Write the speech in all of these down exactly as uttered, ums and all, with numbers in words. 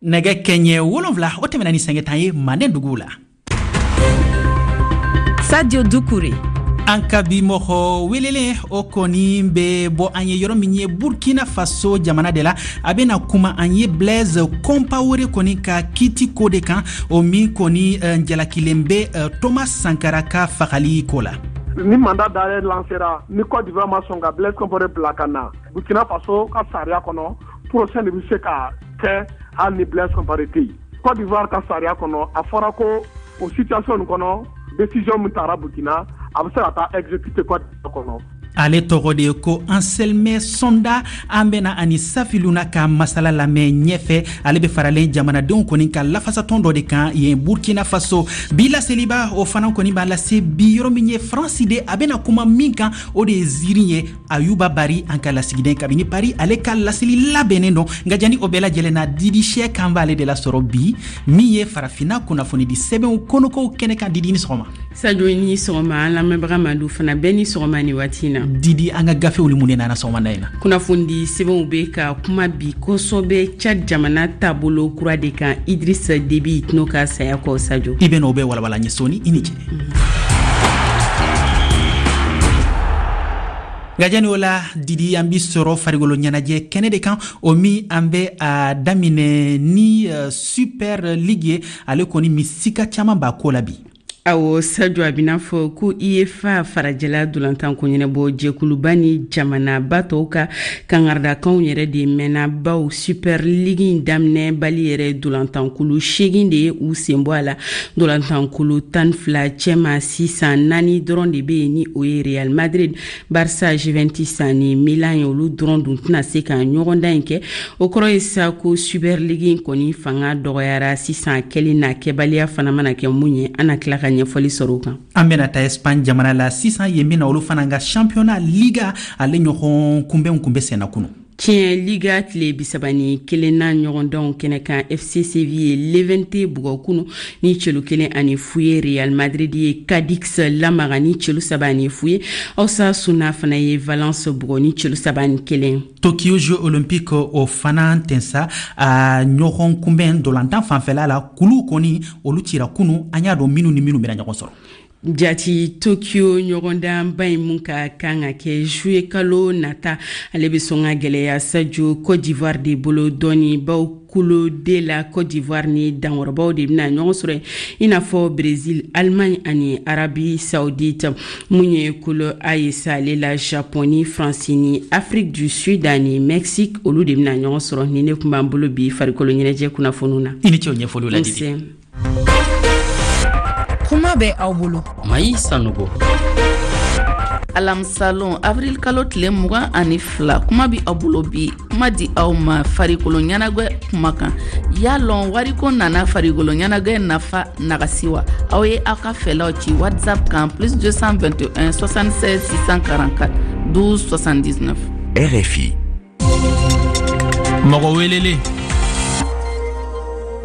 Nɛgɛ kɛɲɛ wolonfila o tɛmɛna ni sanga tan ye Manden duguw la. Sadio Dukure. An ka bi mɔgɔ welelen, o kɔni bɛ bɔ an ye yɔrɔ min ye, Burkina Faso jamana de la. A bɛna kuma an ye Blaise Compaoré kɔni ka kiti ko de kan, o min kɔni eh, jalakilen bɛ eh, Thomas Sankara ka fagali ko la. Ni mandat d'arrêt lancera, ni Côte d'Ivoire ma sɔn ka Blaise Compaoré bila ka na Burkina Faso ka sariya kɔnɔ, procès de bɛ se ka kɛ hali ni Blaise Compaoré tɛ yen. Côte d'Ivoire ka sariya kɔnɔ, a fɔra ko o situation nin kɔnɔ, décision min tara Burkina, a bɛ se ka taa exécuter Côte d'Ivoire kɔnɔ. Ale tɔgɔ de ye ko Anselme Somda. An bena ani Safiluna ka masala lamɛn ɲɛfɛ. Ale be faralen jamanadenw kɔni ka lafasatɔn dɔ de kan yen Burkina Faso. Bi laseliba, o fana kɔni b'a lase bi yɔrɔ min ye Faransi de. A bena kuma min kan, o de ye ziiri ye. Ayuba Bari, an ka lasigiden kabini Paris, ale ka laseli labɛnnen don. Nka jani o bɛɛ lajɛlen na, Didi Sɛ kan b'ale de lasɔrɔ bi min ye Farafinna kunnafonidi sɛbɛnw kɔnɔkow kɛnɛ kan. Didi, ni sɔgɔma. Sadio, ni sɔgɔma. An lamɛnbaga Madu fana bɛɛ ni sɔgɔma ni waati na. Didi, an ka gafew ni mun de nana sɔgɔmada in na? Kunnafonidi sɛbɛnw bɛ ka kuma bi kosɔbɛ Tchad jamana taabolo kura de kan, Idriss Déby Itno ka saya kɔ, Sadio. I bɛ n'o bɛɛ walawala ɲɛ sɔɔni. I ni ce. Nka jani o la, Didi, an bi sɔrɔ farigolo ɲɛnajɛ kɛnɛ de kan, o min an bɛ a daminɛ ni uh, Super League ye. Ale kɔni min sika caman b'a ko la bi. Awɔ Sadio, a bɛna fɔ ko UEFA farajɛla dolantanko ɲɛnabɔ jɛkuluba ni jamanaba tɔw ka kangaridakanw yɛrɛ de mɛnna, baw Super League in daminɛ bali yɛrɛ, dolantankulu seegin de ye u sen bɔ a la dolantankulu tan fila cɛma. Sisan naani dɔrɔn de bɛ yen, ni o ye Real Madrid, Barça, Juventus ani Milan ye. Olu dɔrɔn dun tɛna se ka ɲɔgɔndan in kɛ. O kɔrɔ ye sa ko Super League in kɔni fanga dɔgɔyara sisan. Kɛli n'a kɛbaliya fana mana kɛ mun ye, an na tila ka ɲɛfɔli sɔrɔ o kan. An bɛna taa Espagne jamana la sisan. Yen bɛna olu fana ka championnat Liga, ale ɲɔgɔn kunbɛnw kun bɛ senna kunu. Tiɲɛ, Liga tile bisaba ni kelenna ɲɔgɔndanw kɛnɛ kan, F C Séville ye Levante bugɔ kunu ni celu kelen ani fu ye. Real Madrid ye Cadix lamaga ni celu saba ani fu ye. Osasuna fana ye Valence bugɔ ni celu saba ani kelen. Tokyo Jeux Olympique, o fana tɛnsa a ɲɔgɔn kunbɛn dolantan fanfɛla la, kulu kɔni olu cira kunu. An y'a dɔn minnu ni minnu bɛna ɲɔgɔn sɔrɔ. Jati, Tokyo ɲɔgɔndanba in mun ka kan ka kɛ juillet kalo nata, ale bɛ sɔn ka gɛlɛya, Sadio, Côte d'Ivoire de bolo dɔɔni, baw kulu D la, Côte d'Ivoire ni dankɔrɔbaw de bɛna ɲɔgɔn sɔrɔ, i n'a fɔ Brésil, Allemagne ani Arabie Saoudite. Mun ye kulu A ye sa, ale la Japon ni France ni Afrique du Sud ani Mexique, olu de bɛna ɲɔgɔn sɔrɔ. Ni ne tun b'an bolo bi farikolo ɲɛnajɛ kunnafoniw na. I ni ce o ɲɛfɔliw la, Didi. Kuma bɛ aw bolo. Mayi Sanogo. Alamisalon, avril kalo tile mugan ani fila, kuma bi aw bolo bi kuma di aw ma farikolo ɲɛnagwɛ kuma kan. Y'a lɔn wariko nana farikolo ɲɛnagwɛ nafa nagasi wa? Aw ye aw ka fɛlaw ci WhatsApp kan plus deux cent vingt et un soixante-seize six cent quarante-quatre douze soixante-dix-neuf. R F I. Mɔgɔ welelen.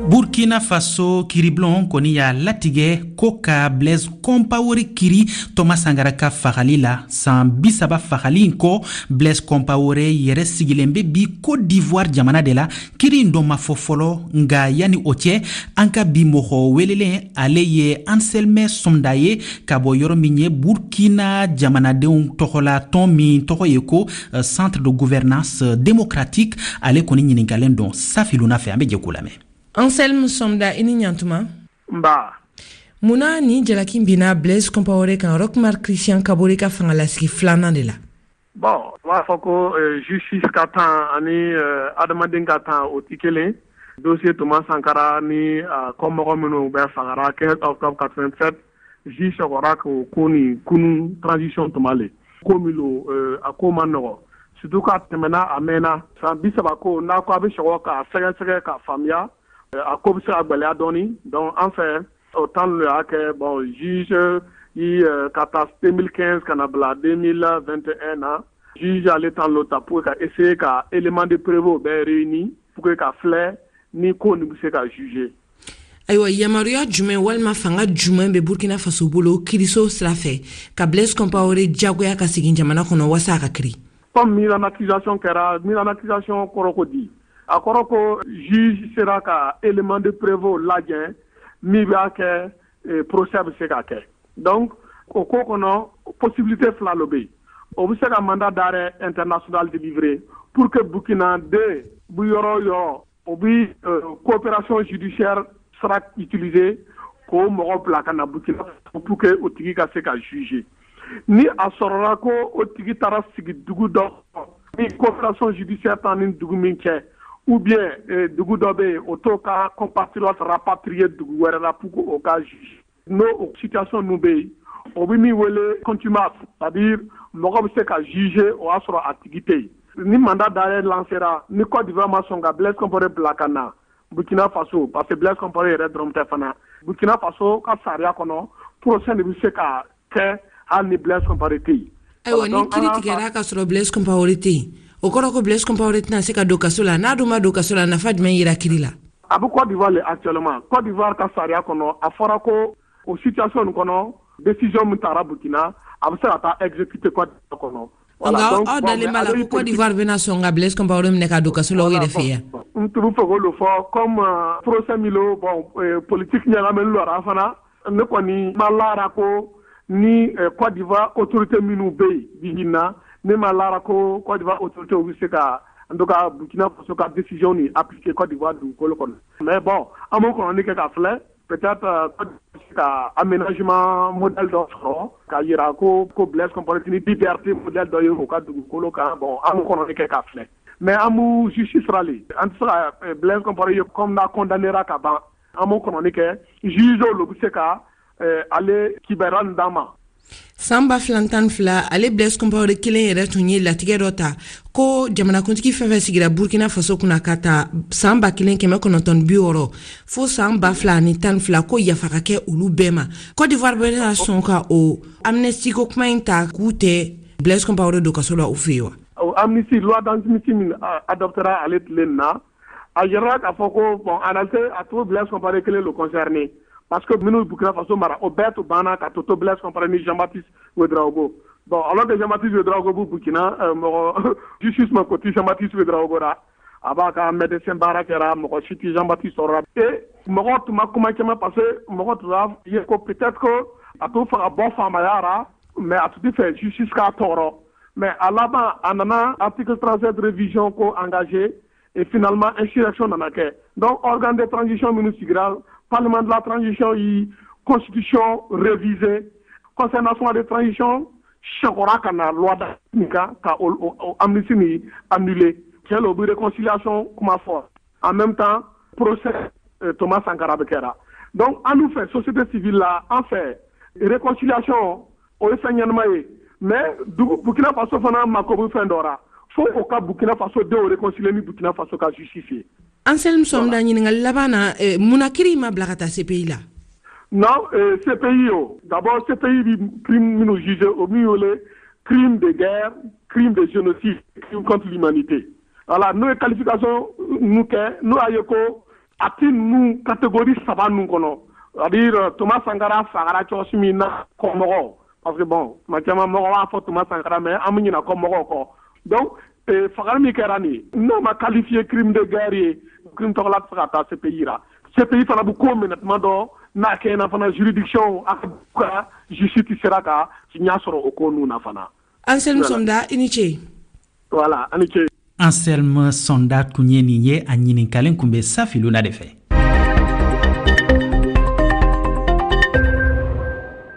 Burkina Faso kiribulon kɔni y'a latigɛ ko ka Blaise Compaoré kiri Thomas Sankara ka fagali la. San bisaba fagali in kɔ, Blaise Compaoré yɛrɛ sigilen bɛ bi Côte d'Ivoire jamana de la. Kiri in dɔ ma fɔ fɔlɔ. Nga yani o cɛ, an ka bi mɔgɔ welelen, ale ye Anselme Somda ye ka bɔ yɔrɔ min ye Burkina jamanadenw tɔgɔla tɔn min tɔgɔ ye ko euh, Centre de gouvernance démocratique. Ale kɔni ɲininkalen don Safiluna fɛ. An bɛ jɛ k'o lamɛn. Anselme Somda, i ni ɲantuma. Nba. Munna nin jalaki binna Blaise Compaoré kan, Roch Marc Christian Kabore ka fangalasigi filanan de la? Bon, u b'a fɔ ko euh, justice ka temps ani euh, adamaden ka temps, o ti kelen. Dossier Thomas Sankara ni uh, kɔmɔgɔ minnu bɛ fagara quinze octobre quatre-vingt-sept, juge sɔgɔra k'o ko nin kunu transition tuma le ko min lo, euh, a ko ma nɔgɔ, surtout k'a tɛmɛna, a mɛnna san bi saba. Ko n'a ko a bɛ sɔgɔ k'a sɛgɛsɛgɛ k'a faamuya, a ko bɛ se ka gwɛlɛya dɔɔni. Donc an fɛ o temps le y'a kɛ. Bon, juge yi ka taa deux mille quinze ka na bila deux mille vingt et un na, juge ale temps lo ta pour ka essayer ka élément de preuve bɛɛ réuni pour que ka filɛ ni ko nin bɛ se ka juger. Ayiwa, yamaruya jumɛn walima fanga jumɛn bɛ Burkina Faso bolo kiriso sira fɛ ka Blaise Compaoré jagoya ka segin jamana kɔnɔ waasa a ka kiri? Comme mise en accusation kɛra, mise en accusation kɔrɔ ko di, A kɔrɔ ko juge sera ka élément de preuve lajɛ min b'a kɛ procès bɛ se ka kɛ. Donc o ko kɔnɔ, possibilité fila lo bɛ yen. O bɛ se ka mandat d'arrêt international délivrer pour que Burkina den bi yɔrɔ o yɔrɔ, o bi coopération judiciaire sera utiliser k'o mɔgɔ bila ka na Burkina pour que o tigi ka se ka juger. Ni a sɔrɔla ko o tigi taara sigi dugu dɔ ni coopération judiciaire t'an ni dugu min cɛ, ou bien dugu dɔ bɛ yen, o t'o ka compatriote rapatrier dugu wɛrɛ la pour que o ka juger, n'o o situation ninnu bɛ yen, o bɛ min wele contumace, c'est-à-dire mɔgɔ bɛ se ka juger o y'a sɔrɔ a tigi tɛ yen. Ni mandat d'arrêt lancera, ni Côte d'Ivoire ma sɔn ka Blaise Compaoré bila ka na Burkina Faso, parce que Blaise Compaoré yɛrɛ dɔrɔn tɛ fana, Burkina Faso ka sariya kɔnɔ, procès de bɛ se ka kɛ hali ni Blaise Compaoré tɛ yen. Ayiwa, ni kiiri tigɛra ka sɔrɔ Blaise Compaoré tɛ yen, o kɔrɔ ko Blaise Compaoré tɛna se ka don kaso la. N'a dun ma don kaso la, nafa jumɛn yira kiiri la? A bɛ Côte d'Ivoire le actuellement. Côte d'Ivoire ka sariya kɔnɔ, a fɔra ko o situation nin kɔnɔ, décision min taara Burkina, a bɛ se ka taa exécuter Côte d'Ivoire kɔnɔ. Nka aw dalen b'a la ko Côte d'Ivoire bɛna sɔn ka Blaise Compaoré minɛ ka don kaso la o yɛrɛ fɛ yan? N tun bɛ fɛ k'o fɔ comme procès min lo, bon, politique ɲagaminen lo a fana. Ne kɔni ma lara ko ni Côte d'Ivoire autorité minnu bɛ yen bi in na, ne ma lara ko Côte d'Ivoire autorité bɛ se ka, en tout cas, Burkina Faso ka décision nin appliquer Côte d'Ivoire dugukolo kɔnɔ. Mais bon, an b'o kɔnɔni kɛ ka filɛ, peut-être ka aménagement modèle dɔ sɔrɔ ka yira ko ko Blaise Compaoré ni liberté modèle dɔ ye o ka dugukolo kan. Bon, an b'o kɔnɔni kɛ ka filɛ, mais an b'u justice ra le, an tɛ se ka Blaise Compaoré ye comme n'a condamnéra ka ban. An b'o kɔnɔni kɛ, juge olu bɛ se ka ale kibaruya nin d'an ma. San ba fila tan fila, ale Blaise Compaoré kelen yɛrɛ tun ye latigɛ dɔ ta ko jamanakuntigi fɛn fɛn sigira Burkina Faso kunna ka ta san ba kelen kɛmɛ kɔnɔntɔn bi wɔɔrɔ fo san ba fila ni tan fila, ko yafa ka kɛ olu bɛɛ ma. Côte d'Ivoire bɛna sɔn ka o amnistie ko kuma in ta k'u tɛ Blaise Compaoré don kaso la u fɛ yen wa? Amnistie, loi d'amnistie min adoptera ale tile nin na, a yɛrɛ k'a fɔ ko bon, en réalité, a to Blaise Compaoré kelen le concerné, parce que minnu Burkina Faso mara, o bɛɛ to banna ka to to Blaise Compaoré ni Jean-Baptiste Ouedraogo. Bon, alors que Jean-Baptiste Ouedraogo b'u Burkina, mɔgɔ justice ma ko ti Jean-Baptiste Ouedraogo ra, a b'a ka médecin baara kɛra, mɔgɔ si ti Jean-Baptiste sɔrɔ. Et mɔgɔ tun ma kuma caman, parce que mɔgɔ tun b'a ye ko peut-être que a t'o fɛ ka bɔ faamaya ra, mais a tun tɛ fɛ justice k'a tɔɔrɔ. Mais a laban, a nana article trente-sept révision ko engagé, et finalement insurrection nana kɛ. Donc organe de transition minnu sigira, parlement de la transition yi constitution révisée, conseil national de transition sɛkɔra ka na loi nin kan ka o amnistie nin annulé. Tiɲɛ la, o bɛ réconciliation kuma fɔ, en même temps procès Thomas Sankara bɛ kɛra. Donc an dun fɛ, société civile la, an fɛ réconciliation o ye fɛn ɲɛnama ye, mais dugu Burkina Faso fana mako bɛ fɛn dɔ ra, fo o ka Burkina Faso denw réconcilier ni Burkina Faso ka justice ye. Anselme Somda, ɲininkali laban na, munna kiri ma bila ka taa C P I la? Non, euh, C P I o, d'abord C P I bi crime minnu jugé, o min wele crime de guerre, crime de génocide, crime contre l'humanité. Voilà, n'o ye qualification ninnu kɛ, n'o y'a ye ko a ti ninnu catégorie saba ninnu kɔnɔ, c'est-à-dire Thomas Sankara fagara cogo min na kɔmɔgɔw, parce que bon, tuma caman mɔgɔ b'a fɔ Thomas Sankara, mais an bɛ ɲinɛ kɔmɔgɔw kɔ. Donc fagali min kɛra nin ye, n'o ma qualifié crime de guerre ye, crime tɔgɔla tɛ se ka taa C P I la. C P I fana bɛ ko minɛ tuma dɔ n'a kɛɲɛna fana, juridiction a ka justice sera ka ɲɛ sɔrɔ o ko ninnu na fana. Anselme Somda, i ni ce. Voilà, a ni ce. Anselme Sonda tun ye nin ye, a ɲininkalen kun bɛ Safiluna de fɛ.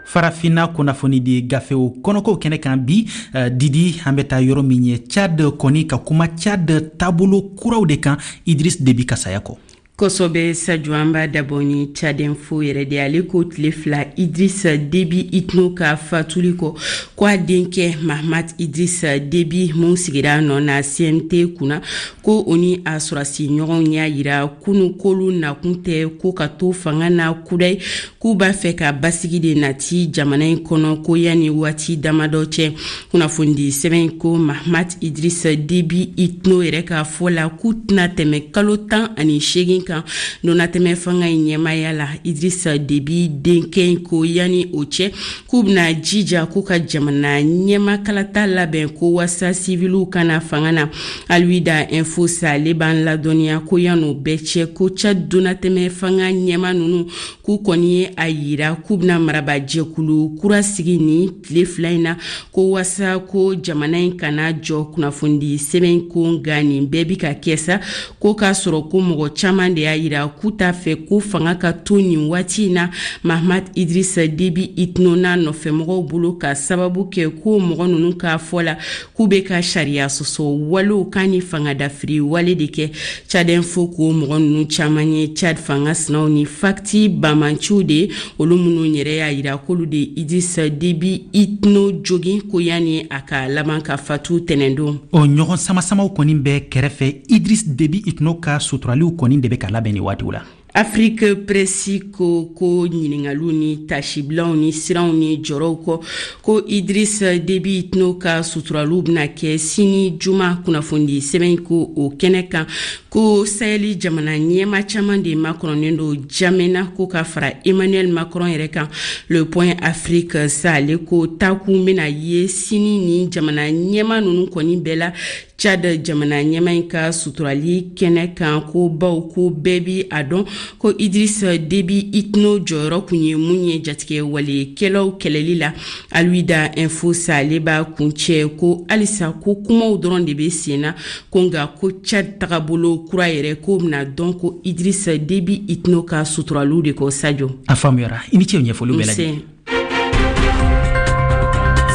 Farafinna kunnafoni di gafew kɔnɔkow kɛnɛ kan bi, uh, Didi, an bɛ taa yɔrɔ min ye Tchad kɔni, ka kuma Tchad taabolo kuraw de kan Idris Debi ka saya kɔ. Kosɔbɛ Sajo, an b'a dabɔ ni Tchad Info yɛrɛ de. Ale ko tile fila Idris Debi Itno ka fatuli kɔ, ko a denkɛ Mahamat Idris Debi mun sigira nɔ na C N T kunna, ko o ni a sɔrɔsi ɲɔgɔnw y'a yira kunu k'olu nakun tɛ ko ka to fanga na kudayi, k'u b'a fɛ ka basigi de nati jamana in kɔnɔ, ko yanni waati damadɔ cɛ. Kunnafonidi sɛbɛn ko Mahamat Idris Debi Itno yɛrɛ ka fɔ la, k'u tɛna tɛmɛ kalo tan ani seegin. kan donnatɛmɛ fanga in ɲɛmaaya la. Idriss Déby denkɛ in ko yanni o cɛ k'u bɛna jija k'u ka jamana ɲɛmakalata labɛn ko wasa siviliw kana fanga na. Alwida Info sa ale b'an ladɔnniya ko yan'o bɛɛ cɛ ko Tchad donnatɛmɛ fanga ɲɛma ninnu k'u kɔni ye a yira k'u bɛna marabajɛkulu kura sigi ni tile fila in na ko wasa ko jamana in kana jɔ. Kunnafonidi sɛbɛn ko nka nin bɛɛ bi ka kɛ sa ko k'a sɔrɔ ko mɔgɔ caman de y'a yira k'u t'a fɛ ko fanga ka to nin waati in na Mahamat Idriss Déby Itno n'a nɔfɛmɔgɔw bolo, ka sababu kɛ ko mɔgɔ ninnu k'a fɔ la k'u bɛ ka sariya sɔsɔ walew kan ni fanga dafiri wale de kɛ. Tchad Info ko mɔgɔ ninnu caman ye Tchad fanga sinaw ni fakti bamanciw de ye, olu minnu yɛrɛ y'a yira k'olu de Idriss Déby Itno jogin ko yanni a ka laban ka fatu tɛnɛndon. O ɲɔgɔn samasamaw kɔni bɛ kɛrɛfɛ, Idriss Déby Itno ka suturaliw kɔni de bɛ ka labɛn nin waatiw la. Afrique Presse ko ko ɲiningaliw ni tasibilaw ni siranw ni jɔrɔw kɔ ko Idriss Déby Itno ka suturaliw bɛna kɛ sini juma. Kunnafonidi sɛbɛn ko o kɛnɛ kan ko Sahel jamana ɲɛma caman de makɔnɔnen don N'Djamena ko ka fara Emmanuel Macron yɛrɛ kan. Le Point Afrique sa ale ko takun bɛna ye sini ni jamana ɲɛma ninnu kɔni bɛɛ la Tchad jamana ɲɛma in ka suturali kɛnɛ kan, ko baw ko bɛɛ bi a dɔn ko Idriss Déby Itno jɔyɔrɔ kun ye mun ye jatigɛ walekɛlaw kɛlɛli la. Alwida Info sa ale b'a kuncɛ ko halisa ko kumaw dɔrɔn de bɛ sen na, ko nka ko Tchad tagabolo kura yɛrɛ k'o bɛna dɔn ko Idriss Déby Itno ka suturaliw de kɔ. Sadio, a faamuyara, i ni ce ɲɛfɔliw bɛɛ lajɛlen.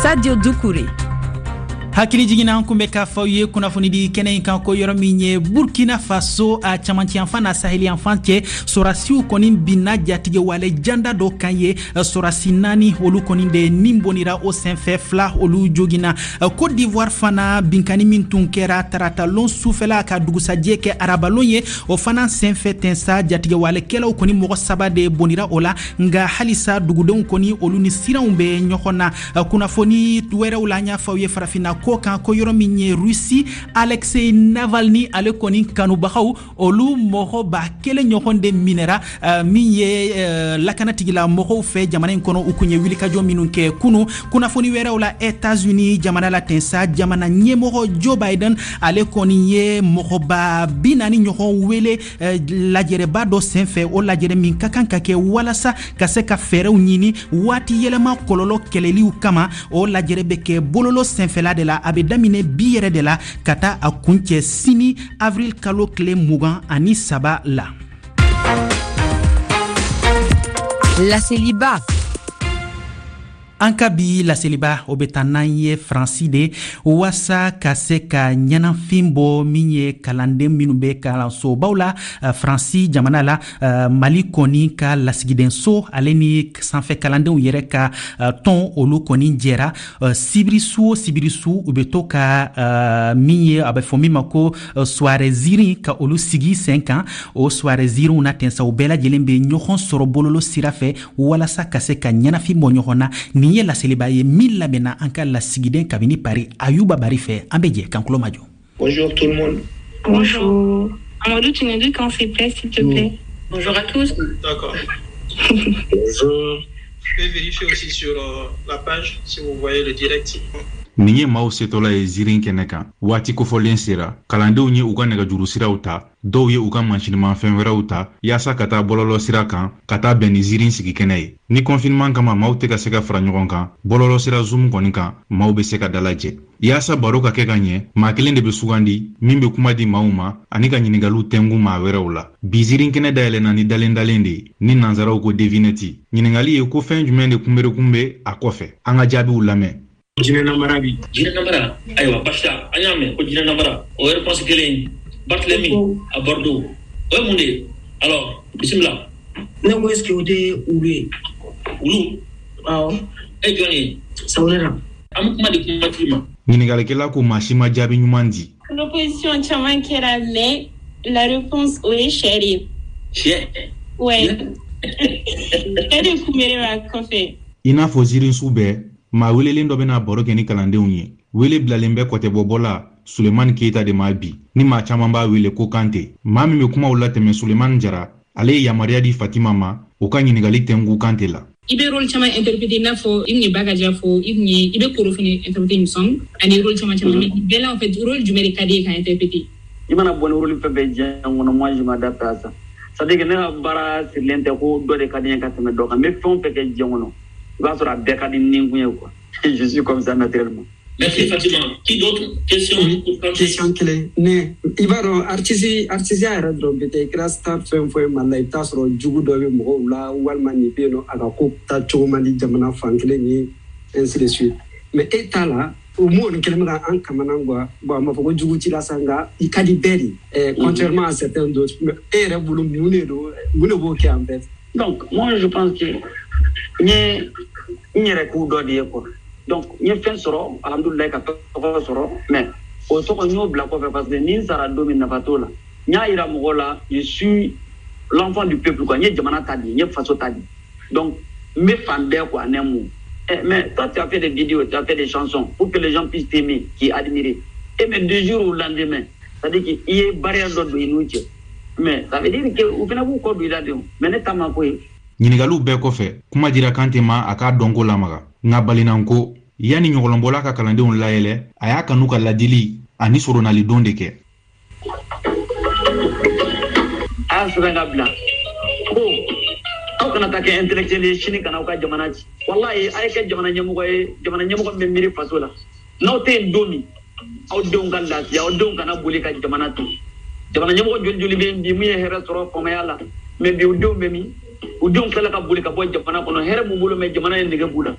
Sadio Doucouré. Hakili jiginna, an kun bɛ k'a fɔ aw ye kunnafonidi kɛnɛ in kan ko yɔrɔ min ye Burkina Faso, a camancɛyanfan n'a saheliyanfan cɛ, sɔrasiw kɔni binna jatigɛwale janda dɔ kan ye. Sɔrasi naani olu kɔni de nin bɔnira o senfɛ, fila olu joginna. Côte d'Ivoire fana, binkani min tun kɛra taratalon sufɛla ka dugusajɛ kɛ arabalon ye, o fana senfɛ tɛnsa jatigɛwalekɛlaw kɔni mɔgɔ saba de bɔnira o la, nka halisa dugudenw kɔni olu ni siranw bɛ ɲɔgɔn na. Kunnafoni wɛrɛw la, an y'a fɔ aw ye farafinna ko kan ko yɔrɔ min ye Russie, Alexei Navalny ale kɔni kanubagaw olu mɔgɔ ba kelen ɲɔgɔn de minɛra uh, min ye uh, lakanatigila mɔgɔw fɛ jamana in kɔnɔ, u kun ye wulikajɔ minnu kɛ kunu. Kunnafoni wɛrɛw la, États-Unis jamana la tɛnsa, jamana ɲɛmɔgɔ Joe Biden ale kɔni ye mɔgɔba bi naani ɲɔgɔn wele uh, lajɛrɛba dɔ senfɛ, o lajɛrɛ min ka kan ka kɛ walasa ka se ka fɛɛrɛw ɲini waati yɛlɛma kɔlɔlɔ kɛlɛliw kama. O lajɛrɛ bɛ kɛ bololo senfɛla de la, a bɛ daminɛ bi yɛrɛ de la ka taa a kuncɛ sini avril kalo tile mugan ani saba la. Laseliba. An ka bi laseliba, o bɛ taa n'an ye Faransi de waasa ka se ka ɲɛnafin bɔ min ye kalanden minnu bɛ kalansobaw la Faransi jamana la. Mali kɔni ka lasigidenso ale ni sanfɛ kalandenw yɛrɛ ka tɔn, olu kɔni jɛra sibirisu o sibirisu u bɛ to ka min ye a bɛ fɔ min ma ko soirée zirin, ka olu sigi sen kan. O soirée zirinw na tɛnsa, u bɛɛ lajɛlen bɛ ɲɔgɔn sɔrɔ bololo sira fɛ walasa ka se ka ɲɛnafin bɔ ɲɔgɔn na. Nin ye laseliba ye min labɛnna an ka lasigiden kabini Paris, Ayuba Bari fɛ. An bɛ jɛ k'an tulo majɔ. Bonjour tout le monde. Bonjour. Amadou, tu nous dis quand c'est prêt, s'il te plaît. Bonjour à tous. D'accord. Bonjour. Je peux vérifier aussi sur euh, la page si vous voyez le direct. Nin ye maaw setɔla ye zirin kɛnɛ kan. Waati kofɔlen sera, kalandenw ye u ka nɛgɛjuru siraw ta, dɔw ye u ka mansinimafɛn wɛrɛw ta yaasa ka taa bɔlɔlɔ sira kan ka taa bɛn ni zirin sigi kɛnɛ ye. Ni confinement kama maaw tɛ ka se ka fara ɲɔgɔn kan, bɔlɔlɔ sira Zoom kɔni kan maaw bɛ se ka dalajɛ yaasa baro ka kɛ ka ɲɛ. Maa kelen de bɛ sugandi min bɛ kuma di maaw ma ani ka ɲiningaliw tɛngu maa wɛrɛw la. Bi zirin kɛnɛ dayɛlɛnna ni dalen dalen de ye, ni nansaraw ko devinette. Ɲiningali ye ko fɛn jumɛn de kunberekun bɛ a kɔfɛ? An ka jaabiw lamɛn. Jinɛ namara bi. Jinɛ namara, ayiwa basi an y'a mɛn ko jinɛ namara, o ye réponse kelen ye. Barthélemy à Bordeaux, o ye mun de ye? Alors bisimila. Ne ko est ce que o tɛ wulu ye? Wulu? Awɔ. E jɔn ye? Sawulera. An bɛ kuma di kumatigi ma. Ɲininkalikɛla ko maa si ma jaabi ɲuman di. Proposition caman kɛra, mais la réponse o ye sɛ de ye. Sɛ? Ouais. Sɛ de kunbere b'a kɔfɛ. I n'a fɔ zirinsu bɛɛ, maa welelen dɔ bɛna baro kɛ ni kalandenw ye. Wele bilalen bɛ kɔtɛbɔbɔla Sulemani Keyita de ma bi, ni maa caman b'a wele ko Kante. Maa min bɛ kumaw latɛmɛ Sulemani Jara, ale ye yamaruya di Fatima ma o ka ɲininkali tɛnku Kante la. I bɛ rôle caman interpréter, i n'a fɔ i tun ye Bakaja fɔ, i tun ye i bɛ Koro fana interpréter, il me semble, ani rôle caman caman. Mais bɛɛ la, en fait, rôle jumɛn de ka di ye ka interpréter? I mana bɔ ni rôle fɛn fɛn diɲɛ kɔnɔ, moi je m'adapte à ça. C'est à dire que ne ka baara sirilen tɛ ko dɔ de ka di n ye ka tɛmɛ dɔ kan. N bɛ fɛn o fɛn kɛ diɲɛ kɔnɔ, i b'a sɔrɔ a bɛɛ ka di n ni kun ye quoi. Je suis comme ça naturellement. Merci Fatima. Qui d'autre? Question? Oui, question kelen. Ne i b'a dɔn, artiste, artisiya yɛrɛ dɔrɔn bɛ tɛ. I kɛra star fɛn fɛn Mali la, i bɛ taa sɔrɔ jugu dɔ bɛ mɔgɔw la, walima nin bɛ yen nɔ, a ka ko taa cogo man di jamana fan kelen ye, ainsi de suite. Mais e ta la, o m'o nin kɛlen bɛ ka an kamana quoi. Bon, a ma fɔ ko jugu t'i la sa, nka i ka di bɛɛ de, eh, contrairement à certains d'autres. Mais e yɛrɛ bolo, mun de don, mun de b'o kɛ en fait? Donc moi je pense que n ye n yɛrɛ k'u dɔ de ye quoi. Donc n ye fɛn sɔrɔ, alhamdulilayi, ka tɔgɔ sɔrɔ, mais o tɔgɔ n y'o bila kɔfɛ, parce que ni n sara don min, nafa t'o la. N y'a yira mɔgɔw la, je suis l'enfant du peuple quoi. N ye jamana ta di, n ye faso ta di, donc n bɛ fan bɛɛ quoi, en un mot. Eh, mais toi, tu as fait des vidéos, tu as fait des chansons pour que les gens puissent t'aimer, qui admirer. Et mais du jour au lendemain, c'est-à-dire qu'il y a barrière dɔ don i n'u cɛ, mais ça veut dire que u fana b'u kɔ don i la de. Mais ne ta ma ko ye. Ɲiningaliw bɛɛ kɔfɛ, kuma dira Kante ma a k'a dɔnko lamaga. Nka balinanko, yanni ɲɔgɔlɔnbɔla ka kalandenw layɛlɛ, a y'a kanu ka ladili ani soronalidon de kɛ. A y'a sɛbɛn ka bila ko aw kana taa kɛ intellectuel ye sini kana aw ka jamana ci. Walayi, a ye kɛ jamana ɲɛmɔgɔ ye, jamana ɲɛmɔgɔ min bɛ miiri faso la. N'aw tɛ yen don min, aw denw ka lafiya, aw denw kana boli ka jamana to. Jamana ɲɛmɔgɔ joli joli bɛ yen bi mun ye hɛrɛ sɔrɔ faamaya la, mais bi u denw bɛ min? U denw tilala ka boli ka bɔ jamana kɔnɔ. Hɛrɛ b'u bolo, mais jamana ye nege b'u la.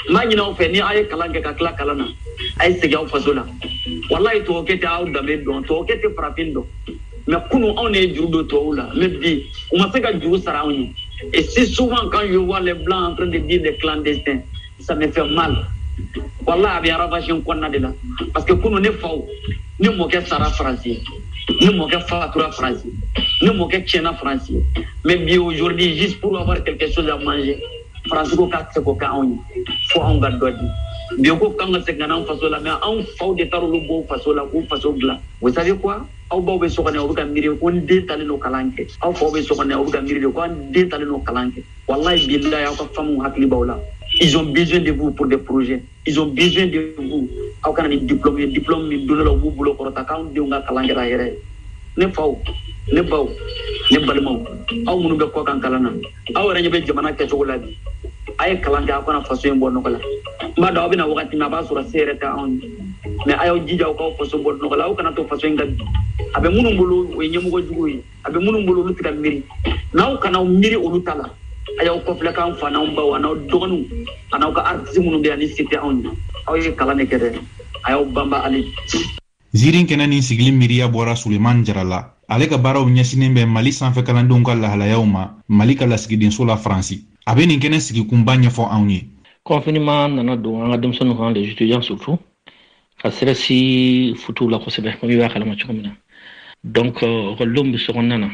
N b'a ɲini aw fɛ, ni aw ye kalan kɛ ka tila kalan na, a ye segin aw faso la. Walayi, tubabukɛ tɛ aw danbe dɔn, tubabukɛ tɛ farafin dɔn. Mais kunu anw de ye juru don tubabuw la, mais bi u ma se ka juru sara anw ye. Et si souvent quand je vois les blancs en train de dire des clandestins, ça me fait mal. Walayi, a bɛ ravage n kɔnɔna de la, parce que kunu ne faw, ne mɔkɛ sara Faransi ye, ne mɔkɛ fatura Faransi, ne mɔkɛ tiɲɛna Faransi ye. Mais bi aujourd'hui, juste pour avoir quelque chose à manger, Faransi ko k'a tɛ se k'o kɛ anw ye, fo anw ka dɔ di. Bi ko k'an ka segin ka na an faso la, mais anw faw de taara olu bɔ u faso la k'u faso dilan. Vous savez quoi? Aw baw bɛ so kɔnɔ, aw bɛ ka miiri ko n den talen don kalan kɛ. Aw faw bɛ so kɔnɔ, aw bɛ ka miiri de ko an den talen don kalan kɛ. Walayi bilayi, aw ka famille hakili b'aw la. Ils ont besoin de vous pour des projets. Ils ont besoin de vous. Aw kana ni diplôme ye, diplôme min don dɔ la u b'u bolo kɔrɔta k'anw denw ka kalan kɛra hɛrɛ ye. Ne faw, ne baw, ne balimaw, aw minnu bɛ kɔkan kalan na, aw yɛrɛ ɲɛ bɛ jamana kɛcogo la bi. A ye kalan kɛ, aw kana faso in bɔ nɔgɔ la. N b'a dɔn aw bɛna wagati min, a b'a sɔrɔ se yɛrɛ tɛ anw ye, mais a y'aw jija aw k'aw faso bɔ nɔgɔ la. Aw kana to faso in ka bin. A bɛ minnu bolo, o ye ɲɛmɔgɔ jugu ye. A bɛ minnu bolo, olu tɛ ka miiri. N'aw kana aw miiri olu ta la, a y'aw kɔfilɛ k'an fa n'anw baw an'aw dɔgɔninw an'aw ka artiste minnu bɛ yan ni se tɛ anw ye. Aw ye kalan de kɛ dɛ, a y'aw banba hali. Ziiri kɛnɛ nin sigili miiriya bɔra Sulemani Jara la. Ale ka baaraw ɲɛsinnen bɛ Mali sanfɛ kalandenw ka lahalayaw ma Mali ka lasigidenso la Faransi. A bɛ nin kɛnɛ sigikunba ɲɛfɔ anw ye. Confinement nana don an ka denmisɛnninw kan, les étudiants surtout, ka stress futu la kosɛbɛ, komi i b'a kalama cogo min na. Donc ekɔlidenw bɛ sokɔnɔna na,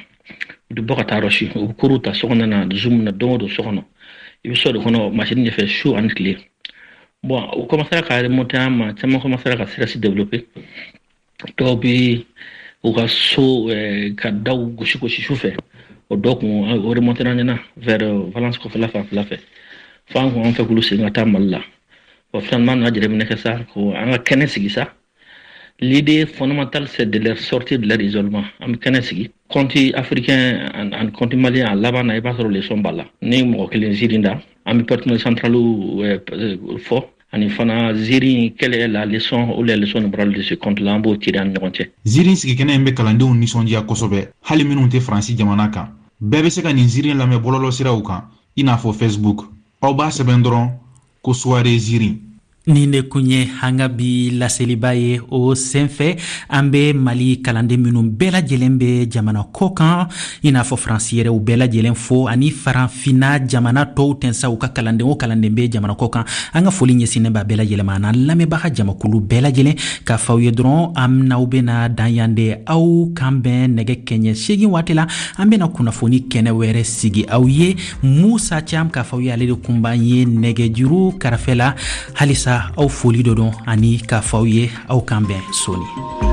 u bɛ bɔ ka taa rɔsi, u bɛ cours ta sokɔnɔna na, Zoom na don o don so kɔnɔ. I bɛ so de kɔnɔ machine ɲɛfɛ su ani tile. Bon, u commencera ka remonter an ma, caman commencera ka stress développer. Dɔw bɛ u ka so ka daw gosi gosi su fɛ, o dɔw kun o remonter an ɲɛna vers Valence kɔfɛla fanfɛla fɛ. Fo an kun an fɛ k'olu segin ka taa Mali la. Bon, finalement, an nana jateminɛ kɛ sa, ko an ka kɛnɛ sigi sa. L'idée fondamentale, c'est de leur sortir de leur isolement. An bɛ kɛnɛ sigi. Conte africain ani conte malien, a laban na, i b'a sɔrɔ leçon b'a la. Ni mɔgɔ kelen ziiri da, an bɛ personnage central fɔ. Ani fana ziiri, quelle est la leçon ou les leçons de morale de ce conte-là, an b'o tirer an ni ɲɔgɔn cɛ. Ziiri sigikɛnɛ in bɛ kalandenw nisɔndiya kosɛbɛ, hali minnu tɛ Faransi jamana kan. Bɛɛ bɛ se ka nin ziiri lamɛn bɔlɔlɔsiraw kan, i n'a fɔ Facebook. Aw b'a sɛbɛn dɔrɔn ko soirée ziiri. Nin de kun ye an ka bi laseliba ye. O senfɛ, an bɛ Mali kalanden minnu bɛɛ lajɛlen bɛ jamana kɔ kan, i n'a fɔ Faransi yɛrɛ, u bɛɛ lajɛlen fo, ani Farafinna jamana tɔw tɛnsa u ka kalanden o kalanden bɛ jamana kɔ kan. An ka foli ɲɛsinnen b'a bɛɛ lajɛlen ma, an'an lamɛnbaga jamakulu bɛɛ lajɛlen. K'a fɔ aw ye dɔrɔn, an n'aw bɛna dan yan de. Aw kan bɛn nɛgɛ kɛɲɛ seegin waati la, an bɛna kunnafoni kɛnɛ wɛrɛ sigi aw ye. Musa Cam k'a fɔ aw ye, ale de kun b'an ye nɛgɛjuru kɛrɛfɛ la halisa. sa, aw foli dɔ don ani k'a fɔ aw ye aw kan bɛn sɔɔni.